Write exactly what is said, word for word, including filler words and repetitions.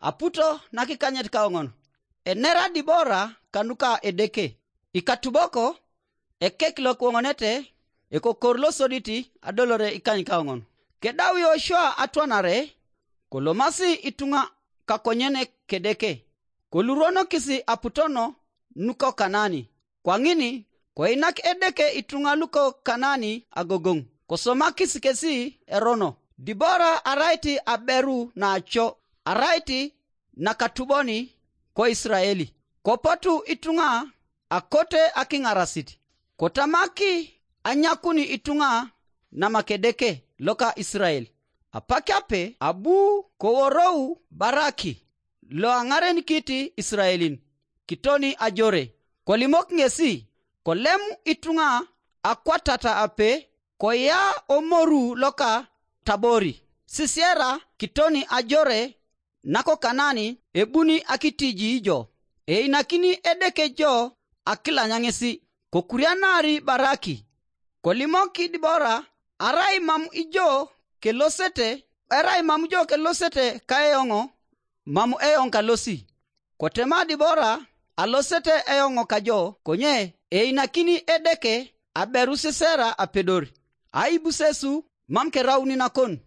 aputo nakikanyet kaoŋon. Enera Dibora kanuka Edeke. Ikatuboko, ekek lokwoŋonete, ekokor losoditi adolore ikany kaoŋon. Kedau Yoshua atwanare, kolomasi ituŋa kakonyen Kedeke, koluronokisi aputono nuko Kanani. Kwaŋin, koinak Edeke ituŋa luko Kanani agogoŋ, kosomakis kesi erono. Dibora arait aberu naaco, arait nakatuboni ko Isiraeli. Kopotu ituŋa akote akiŋarasit, kotamaki anyakuni ituŋa namakedeke loka Isirael. Apak ape abu koworou Baraki loaŋarenikit Isiraelin kitoni ajore, kolimok ŋesi, kolem ituŋa akwatata ape, koya omoru loka Tabori, sisera kitoni ajore nako Kanani ebuni akitiji jo. Einakini Edeke jo akilanya ŋesi, kokurianari Baraki. Kolimok Dibora, arai mam ijo kelosete, arai mam ijo kelosete kaeoŋo, mam eoŋ kalosi. Kotema Dibora, alosete eoŋo kajo, konye einakini Edeke aberu Sisera apedor. Aibusesu mam kerauni nakon.